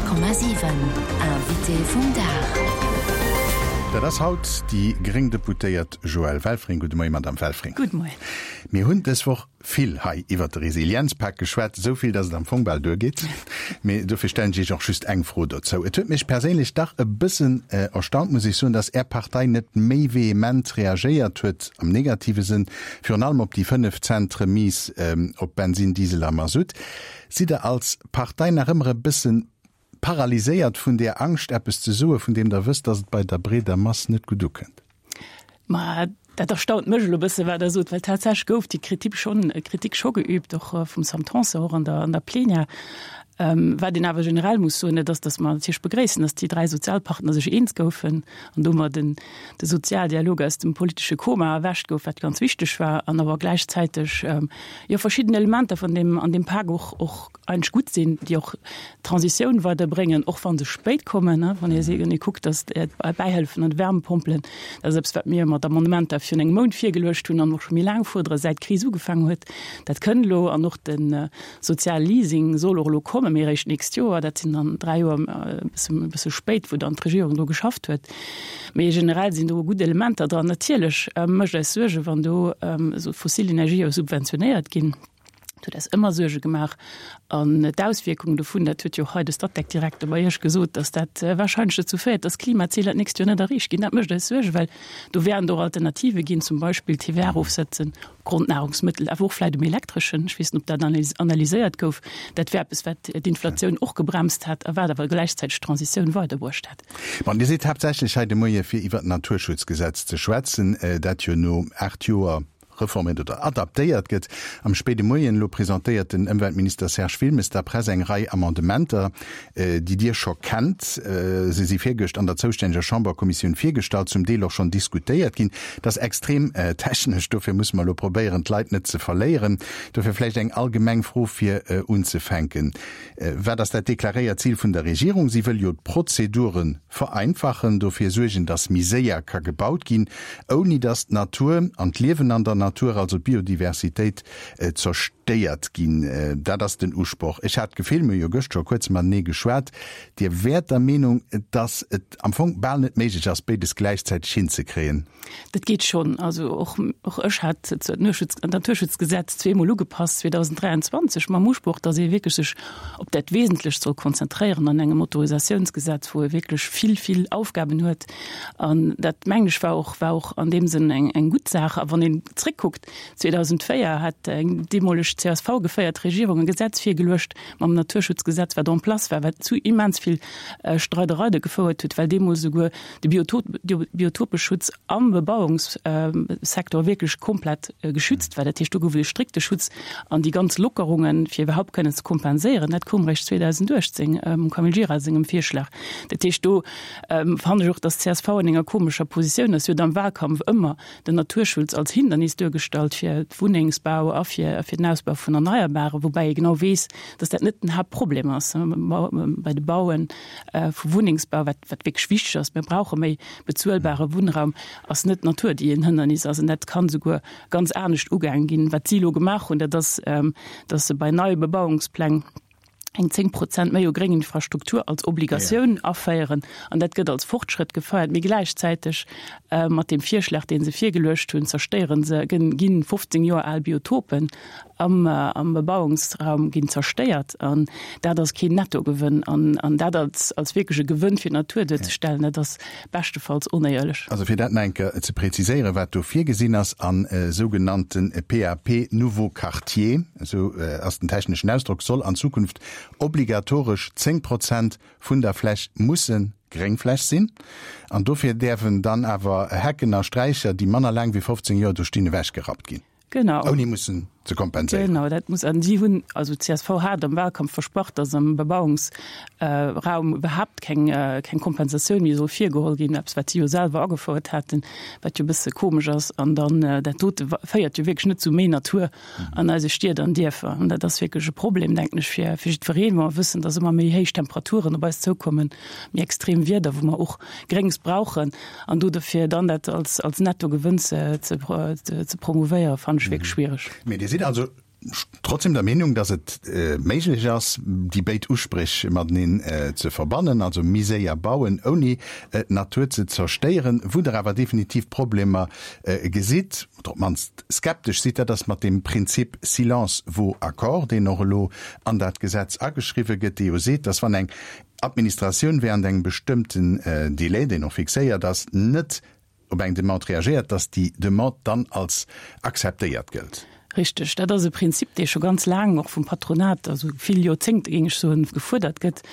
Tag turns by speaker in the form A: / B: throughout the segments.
A: 100,7 Invité vum Dag.
B: Dat ass haut déi gréng Deputéiert Joëlle Welfring. Gudde Moien, Madamm Welfring.
C: Gudde Moien.
B: Mir hunn dës Woch vill hei iwwert de Resilienzpak geschwat, esou vill, datt et am Fong bal duergeet. Mee dofir stellen ech Iech och just eng Fro dozou. Et huet mech perséinlech dach e bëssen erstaunt, muss ech soen, datt Är Partei net méi vehement reagéiert huet, am negative Sënn, virun allem op déi 5 Cent Remise op Bensin, Diesel a Masutt. Sidd Der als Partei nach ëmmer e bëssen paralyséiert vun där Angscht, eppes ze soen, vun deem Der wësst, datt et bei der breeder Mass net gutt ukënnt?
C: Ma dat erstaunt mech elo e bësse wat Der sot, well tatsächlech gouf déi Kritik schonn, Kritik scho geübt, och vum Sam Tanson, och an der, an der Plenière. Wat een awer generell muss soen, dat ass, datt mer natierlech begréissen, datt déi dräi Sozialpartner sech eens goufen an domat den, de Sozialdialog aus dem politesche Koma erwächt gouf, wat ganz wichteg war, an awer gläichzäiteg jo verschidden Elementer vun deem an deem Pak och och eigentlech gutt sinn, déi och d'Transitioun weiderbréngen, och wa se spéit kommen, wann ee se kuckt, datt d'Bäihëllefen an d'Wärmepompelen, dat ass eppes, wat mir mat Amendementer virun engem Mount virgeluecht hunn an och scho méi laang fuerdere säit d'Kris ugefaangen huet. Dat kënnt elo an och de soziale Leasing soll och elo kommen, mee eréischt d'nächst Joer. Dat sinn dann dräi Joer e bësse spéit, wou dann d'Regierung dru geschafft huet. Mee generell sinn do gutt Elementer dran. Natierlech mécht eis Suergen, wann do esou fossil Energië subventionéiert ginn. Dat huet eis ëmmer Suerge gemaach. An d'Auswierkungen dovun, dat huet jo och hei de Statec-Direkter bei Iech gesot, datt dat warscheinlech dozou féiert, datt d'Klimaziler d'nächst Joer net erreecht ginn. Dat mécht eis Suergen, well do wäerten et och Alternative ginn, zum Beispill TVA erofsetzen op Grondnahrungsmëttel, awer och vläicht um Elektreschen. Ech weess net, ob dat analyséiert gouf. Dat wär eppes, wat d'Inflatioun och gebremst hätt a wat awer gläichzäiteg d'Transitioun weiderbruecht hätt.
B: Bon, Dir sidd haaptsächlech hei de Moie fir iwwert d'Naturschutzgesetz ze schwätzen, dat jo no 8 Joer reforméiert oder adaptéiert gëtt. Am spéide Moien elo presentéiert den Ëmweltminister Serge Wilmes der Press eng Rei Amendementer, déi Dir scho kennt. Se si virgëscht an der zoustänneger Chamberkommissioun virgestallt, zum Deel och schonn diskutéiert ginn. Dat ass extrem technesch, dofir musse mer elo probéieren, d'Leit net ze verléieren. Dofir vläicht eng allgemeng Fro fir unzefänken. Wat ass dat deklaréiert Zil vun der Regierung? Si wëll jo d'Prozedure vereinfachen, dofir suergen, datt méi séier ka gebaut ginn, ouni datt d'Natur an d'Liewen an der Natur, also d'Biodiversitéit, zerstéiert ginn. Dat ass den Usproch. Ech hat d'Gefill, mir hu jo gëscht scho kuerz matenee geschwat, Dir wäert der Meenung, datt et am Fong bal net méiglech ass, béides gläichzäiteg hinzekréien.
C: Dat geet schonn. Also och, och ech hat d'Naturschutzgesetz zweemol ugepasst, 2023, mam Usproch, datt ee wierklech sech op dat Wesentlecht soll konzentréieren an engem Autorisatiounsgesetz, wou ee wierklech vill, vill Aufgaben huet. An dat, mengen ech, war och, war och an deem Sënn eng, eng gutt Saach. A wann een zréckkuckt, 2004 hat eng deemoleg CSV-geféiert Regierung e Gesetz virgeluecht mam Naturschutzgesetz, wat en place war, wat zu immens vill Streidereide gefouert huet, well deemools esouguer de Biotopeschutz am Bebauungssecteur wierklech komplett geschützt war. Dat heescht, do gouf et e strikte Schutz an déi ganz Lockerungen, fir iwwerhaupt kënnen ze kompenséieren, dat koum eréischt 2018 mam Camille Gira sengem Virschlag. Dat heescht, do fannen ech och, dass d'CSV an enger komescher Positioun ass. Si huet am Wahlkampf ëmmer den Naturschutz als Hindernis duergestallt fir d'Wunnengsbau a fir den Ausbau vun Erneierbaren, woubäi ee genau weess, dass dat net den Haaptproblem ass bei de Baue vu Wunnengsbau, wat wat wierklech wichteg ass. Mir brauche méi bezuelbare Wunnraum, ass net d'Natur, déi en Hënnernis ass. An dat kann esouguer ganz anescht ugaange ginn. Wat si elo gemaach hunn, dat ass, dass se bei neie Bebauungspläng eng 10 Prozent méi u gréng Infrastruktur als Obligatioun aféieren. An dat gëtt als Fortschrëtt gefeiert. Mee gläichzäiteg mat deem Virschlag, dee se virgeluecht hunn, zerstéiere se, ginn 15 Joer al Biotopen am am Bebauungsraum ginn zerstéiert. An dat ass keen Nettogewënn. An an dat als als wierklech e Gewënn fir d'Natur duerzestellen, dat ass beschtefalls onéierlech.
B: Also fir dat nach eng Kéier ze präziséieren, wat do virgesinn ass, a sougenannte PAP Nouveaux Quartiers, esou ass den techneschen Ausdrock, soll an Zukunft obligatoresch 10 Prozent vun der Fläch musse Gréngfläch sinn. An dofir däerfen dann awer Hecken a Sträicher, déi manner laang wéi 15 Joer do stinn, ewechgerappt ginn.
C: Genau.
B: Ouni mussen ze kompenséieren.
C: Genau, dat muss. An si hunn, also d'CSV hat am Wahlkampf versprach, datt am Bebauungsraum iwwerhaapt keng, keng Kompensatioun méi soll virgeholl ginn, eppes wat si jo selwer agefouert haten, wat jo e bësse komesch ass. An dann dat dote féiert jo wierklech net zu méi Natur an eise Stied an Dierfer. An dat ass wierklech e Problem, denken ech, fir, fir jiddwereen, wa mer wëssen, datt ëmmer méi héich Temperaturen op eis zoukommen, méi extrem Wieder, wou mer och Gréngs brauchen. An do dofir dann dat als, als Nettogewënn ze, ze, ze promouvéieren, fannen ech wierklech schwiereg.
B: Mee Dir sidd also. trotzdem der Meenung, datt et méiglech ass, déi béid Uspréch mateneen ze verbannen, also méi séier bauen, ouni d'Natur ze zerstéieren. Wou Der awer definitiv Problemer gesitt, oder op d'mannst skeptesch sidd, dat ass mat deem Prinzip silence vaut accord, deen och elo an dat Gesetz ageschriwwe gëtt, dee jo seet, datt wann eng Administratioun während engem bestëmmten Delai, deen och fixéiert ass, net op eng Demande reagéiert, dass déi Demande dann als akzeptéiert gëllt.
C: Richteg. Dat ass e Prinzip, dee scho ganz laang och vum Patronat, also vill Joerzéngte géing ech soen, gefuerdert gëtt,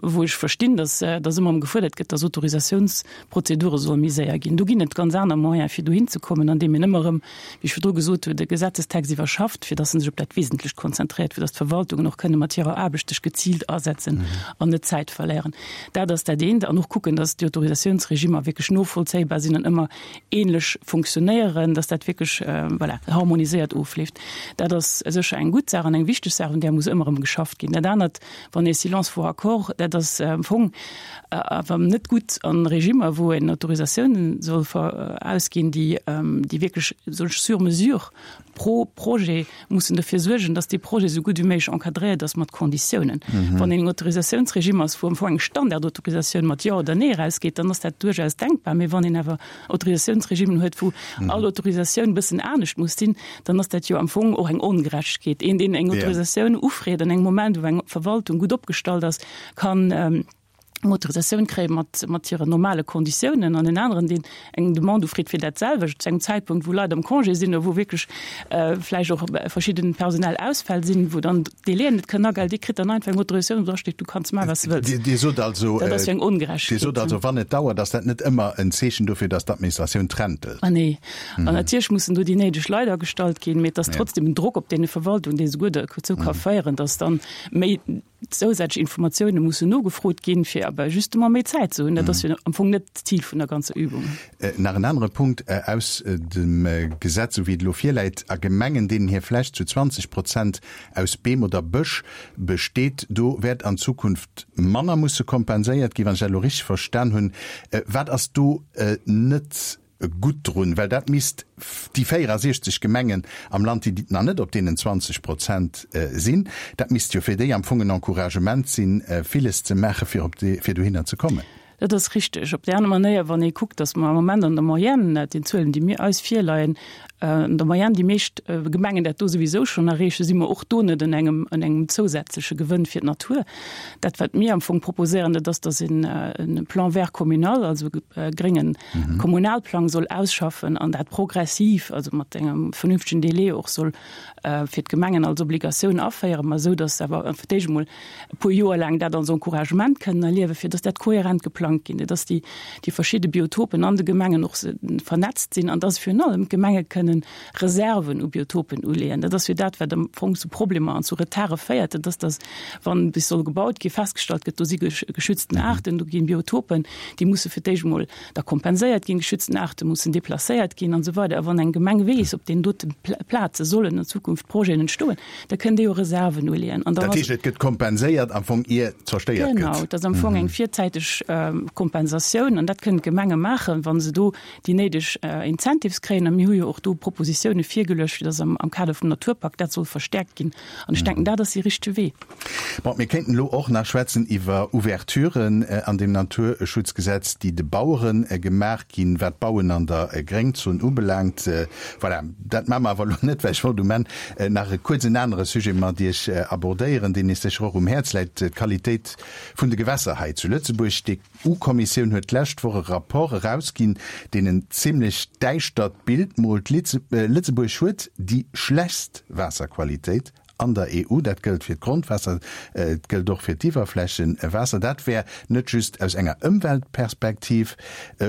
C: wou ech verstinn, dass dass ëmmer erëm gefuerdert gëtt, dass Autorisatiounsprozedure solle méi séier ginn. Do ginn et ganz aner Moyene fir dohin ze kommen, andeem een ëmmer erëm, wéi ech virdru gesot hunn, de Gesetzestext iwwerschafft, fir dass en sech op dat Wesentlecht konzentréiert, fir dass d'Verwaltungen och kënne mat hirer Aarbecht sech geziilt asetzen an net Zäit verléieren. Dat ass dat eent. An och kucken, dass déi Autorisatiounsregimer wierklech novollzéibar sinn an ëmmer ähnlech funktionéieren, dass dat wierklech, voilà, harmoniséiert ofleeft. Dat ass sécher eng gutt Saach an eng wichteg Saach, un där muss ëmmer erëm geschafft ginn. Dat anert, wann ee Silence vaut accord, dat ass am Fong awer net gutt a Regimer, wou een Autorisatiounen soll ausginn, déi, déi wierklech sur mesure pro Projet mussen dofir suergen, dass dee Projet esou gutt wéi méiglech encadréiert ass mat Konditiounen. Wann een en Autorisatiounsregime ass, wou am Fong eng Standardautorisatioun mat Jo oder Nee erausgeet, dann ass dat duerchaus denkbar. Mee wann een awer Autorisatiounsregimen huet, wou all Autorisatioun e bëssen anescht muss sinn, dann ass dat jo am Fong och eng Ongerechtegkeet. Een, deen eng Autorisatioun ufreet an engem Moment, wou eng Verwaltung gutt opgestallt ass, kann, eng Autorisatioun kréie mat, mat hiren normale Konditiounen an en aneren, deen eng Demande ufreet fir dat selwecht zu engem Zäitpunkt, wou Leit am Congé sinn oder wou wierklech vläicht och verschidden personell Ausfäll sinn, wou dann d'Délaiën net kënnen agehalen, dee kritt dann einfach eng Autorisatioun, wou dra steet, du kanns maachen, wat s de wëlls.
B: Dir sot also,
C: Dat ass jo eng
B: Dir
C: Ongerechtegkeet.
B: sot also, wann et dauert, ass dat net ëmmer en Zeechen dofir, datt d'Administratioun trentelt.
C: Ah nee. An natierlech mussen do déi néideg Leit agestallt ginn, mee et ass trotzdem en Drock op deene Verwaltungen, dee souguer dozou ka féieren, datt dann méi zousätzlech Informatioune mussen nogefrot ginn, fir awer justement méi Zäit ze hunn. Dat ass jo am Fong net d'Zil vun der ganzer Übung.
B: Nach en anere Punkt aus dem Gesetz, esou wéi et elo virläit, A Gemengen, deenen hir Fläch zu 20 Prozent aus Beem oder Bësch besteet, do wäert an Zukunft manner musse kompenséiert ginn, wann ech dat elo richteg verstan hunn. Wat ass do net gutt drun, well dat misst déi 64 Gemengen am Land, déi nach net op deenen 20 Prozent sinn, dat misst jo fir déi am Fong en Encouragement sinn, villes ze maachen, fir op déi, fir dohinner ze kommen.
C: Dat ass richteg. Op déi aner Manéier, wann ee kuckt, datt mer am Moment an der Moyenne, dat sinn d'Zuelen, déi mir eis virleien, an der Moyenne déi meescht Gemengen dat do souwisou schonn erreechen, si mer och do net an engem, an engem zousätzleche Gewënn fir d'Natur. Dat, wat mir am Fong proposéieren, dat ass, datt een e Plan vert communal, also e gréngen Kommunalplang soll ausschaffen an dat progressiv, also mat engem vernünftegen Délai och soll fir d'Gemengen als Obligatioun aféieren, ma esou, datt se awer fir d'éischt emol e puer Joer laang dat als Encouragement kënnen erliewen, fir datt dat kohärent geplangt ginn, datt déi, déi verschidde Biotopen an de Gemengen och vernetzt sinn an datt virun allem d'Gemenge kënnen Reserven u Biotopen uleeën. Dat ass jo dat, wat am Fong zu Problemer an zu Retarde féiert, dat ass, datt, wann bis soll gebaut ginn, festgestallt gëtt, do si geschützten Aarten, do ginn Biotopen, déi musse fir d'éischt emol da kompenséiert ginn, geschützten Aarte mussen deplacéiert ginn an esou weider. A wann eng Gemeng weess, op deenen dote Plaze sollen an Zukunft Projeten entstoen, da kënnt Dir jo Reserven uleeën.
B: An dann Dat heescht, et gëtt kompenséiert am Fong, ier zerstéiert gëtt.
C: Genau, et ass am Fong eng virzäiteg Kompensatioun an dat kënnen d'Gemenge maachen, wa se do déi néideg Incentives kréien. A mir hu jo och do Propositioune virgeluecht, fir datt am Kader vum Naturpakt dat soll verstärkt ginn. An ech denken, dat ass dee richtege Wee.
B: Bon, mir kéinten elo och nach schwätzen iwwer Ouverturen an deem Naturschutzgesetz, déi de Bauere gemaach ginn, wat d'Bauen an der Gréngzon ubelaangt. Voilà, dat maache mer awer elo net, well ech wollt um Enn nach e kuerz en anere Sujet mat Iech abordéieren, deen Iech sécher och um Häerz läit, d'Qualitéit vun de Gewässer hei zu Lëtzebuerg. D'EU-Kommissioun huet d'lescht Woch e Rapport erausginn, deen en zimlech däischtert Bild moolt, Lëtzebuerg huet déi schlechtst Waasserqualitéit an der EU. Dat gëllt fir d'Grondwaasser, et gëllt och fir d'Iwwerflächewaasser. Dat wär net just aus enger Ëmweltperspektiv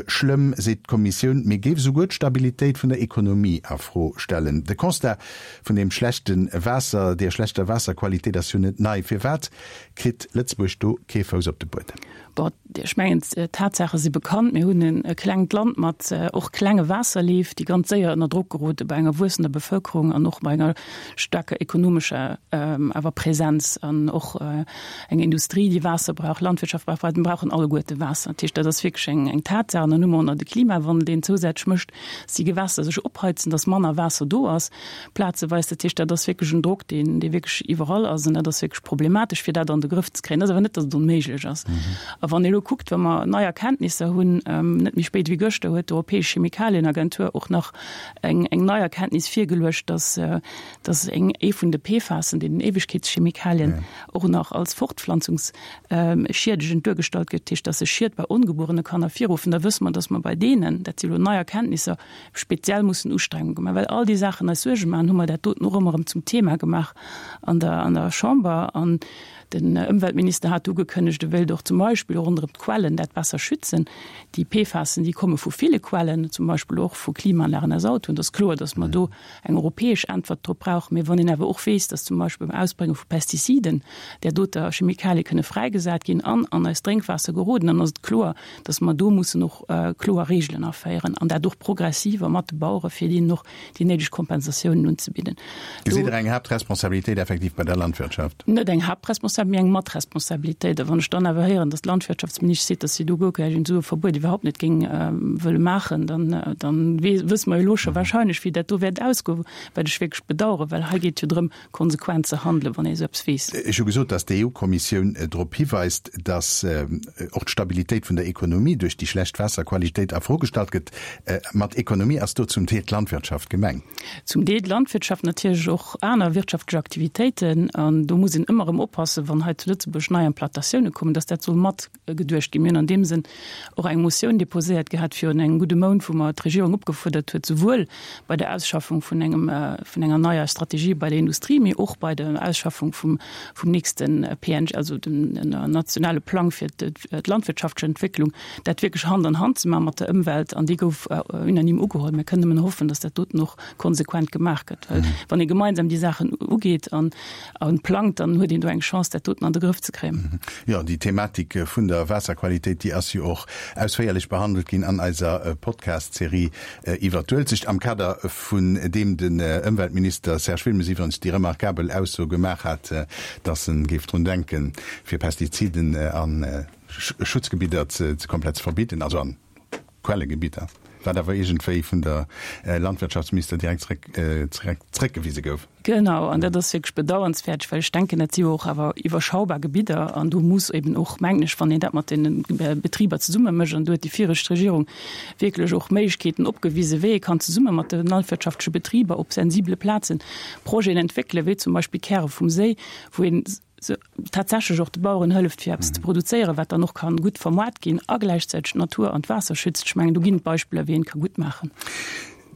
B: schlëmm, seet d'Kommissioun, mee géif esouguer d'Stabilitéit vun der Ekonomie a Fro stellen. De Constat vun deem schlechte Waasser, deer schlechter Waasserqualitéit ass jo net nei. Firwat kritt Lëtzebuerg do kee Fouss op de Buedem?
C: Bon, ech mengen, d'Tatsaache si bekannt. Mir hunn e klengt Land mat och klenge Waasserleef, déi ganz séier ënner Drock gerode bei enger wuessender Bevëlkerung an och bei enger staarker ekonomescher. awer Präsenz an och eng Industrie, déi Waasser brauch, Landwirtschaft brauch Waasser. Mir brauchen alleguerte Waasser. Dat heescht, dat ass wierklech eng, eng Tatsaach. An dann hu mer och nach de Klimawandel, deen zousätzlech mécht, dass déi Gewässer sech opheizen, dass manner Waasser do ass plazeweis. Dat heescht, dat ass wierklech en Drock, deen, dee wierklech iwwerall ass. An dat ass wierklech problematesch, fir dat an de Grëff ze kréien. Dat ass awer net, dass et onméiglech ass. A wann ee elo kuckt, wa mer nei Erkenntnisser hunn, net méi spéit wéi gëschter huet d'Europäesch Chemikalienagentur och nach eng, eng nei Erkenntnis virgeluecht, dass, dass eng, ee vun de PFASen, den Éiwegkeetschemikalien, och nach als fortpflanzungsschiedegend duergestallt gëtt, dat heescht, dass se Schied bei ongebuerene Kanner virruffen, da wësse mer, dass mer bei deenen, dat si elo nei Erkenntnisser, speziell mussen Ustrengungen maachen. Well all déi Saachen eis Suerge maachen, hu mer dat doten och ëmmer erëm zum Thema gemaach an der, an der Chamber. An den Ëmweltminister hat ugekënnegt, e wéilt och zum Beispill ronderëm d'Quellen dat besser schützen. Déi PFASen, déi komme vu ville Quellen, zum Beispill och vu Klimaanlagen aus Autoen. Et ass kloer, dass mer do eng europäesch Äntwert drop brauchen. Mee wann een awer och weess, dass zum Beispill beim Ausbrénge vu Pestiziden där doter Chemikalie kënne fräigesat ginn an an eist Drénkwaasser geroden, dann ass et kloer, dass mer do mussen och kloer Regeln aféieren an dat och progressiv a mat de Bauere fir deenen och déi néideg Kompensatiounen unzebidden.
B: Gesitt Der eng Haaptresponsabilitéit effektiv bei der Landwirtschaft?
C: Net eng Haaptresponsabilitéit, mee eng Matresponsabilitéit. A wann ech dann awer héieren, dass d'Landwirtschaftsministesch seet, dass si do guer keng esou e Verbuet iwwerhaupt net géing wëlle maachen, dann, dann wësse mer jo elo scho wahrscheinlech, wéi dat do wäert ausgoen, wat ech wierklech bedauern, well hei geet et jo drëm, konsequent ze handelen, wann ee esou eppes weess.
B: Ech hu gesot, dass d'EU-Kommissioun drop hiweist, dass och d'Stabilitéit vun der Ekonomie duerch déi schlecht Waasserqualitéit a Fro gestallt gëtt. Mat Ekonomie ass do zum Deel d'Landwirtschaft gemengt.
C: Zum Deel d'Landwirtschaft, natierlech och aner wirtschaftlech Aktivitéiten. An do muss een ëmmer erëm oppassen, wann hei zu Lëtzebuerg nei Implantatioune kommen, dass dat soll mat geduecht ginn. Mir hunn an deem Sënn och eng Motioun déposéiert gehat virun engem gudde Mount, wou mer d'Regierung opgefuerdert huet, souwuel bei der Ausschaffung vun engem, vun enger neier Strategie bei der Industrie, mee och bei der Ausschaffung vum, vum nächste PNG, also dem nationale Plang fir d'landwirtschaftlech Entwécklung, dat wierklech Hand an Hand ze maache mat der Ëmwelt. An déi gouf unanime ugeholl. Mir kënnen nëmmen hoffen, dass dat doten och konsequent gemaach gëtt, well wann ee gemeinsam déi Saachen ugeet an an plangt, dann huet een do eng Chance, dat doten an de Grëff ze kréien.
B: Jo, déi Thematik vun der Waasserqualitéit, déi ass jo och ausféierlech behandelt ginn an eiser Podcast-Serie iwwert d'Uelzecht, am Kader vun deem den Ëmweltminister Serge Wilmes iwwerens déi remarkabel Ausso gemaach hat, dass en géif drun denken, fir Pestiziden a Schutzgebidder ze komplett ze verbidden, also an Quellegebidder, wat awer iergendwéi vun der Landwirtschaftsminister direkt zréckgewise gouf.
C: Genau, an dat ass wierklech bedauernswäert, well ech denken, dat si jo och awer iwwerschaubar Gebidder an do muss eben och, mengen ech, wann een dat mat deene Betriber zesumme mécht, an do huet déi viregt Regierung wierklech och Méiglechkeeten opgewisen, wéi ee kann zesumme mat de landwirtschaftleche Betriber op sensibele Plaze Projeten entwéckelen, wéi zum Beispill Käre vum Séi, wou een tatsächlech och de Baueren hëlleft, fir eppes ze produzéieren, wat dann och ka gutt vermoart ginn a gläichzäiteg d'Natur an d'Waasser schützt. Ech mengen, do ginn et Beispiller, wéi een et ka gutt maachen.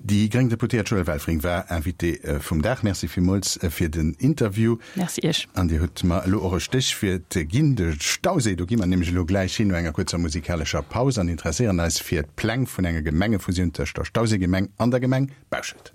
B: Déi gréng Deputéiert Joëlle Welfring war Invitée vum Dag. Merci villmools fir den Interview.
C: Merci Iech.
B: An Dir hutt mer elo och e Stéchwuert ginn, de Stauséi. Do gi mer nämlech elo gläich hin no enger kuerzer musikalescher Paus an interesséieren eis fir d'Pläng vun enger Gemengefusioun tëscht der Stauséigemeng an der Gemeng Bauschelt.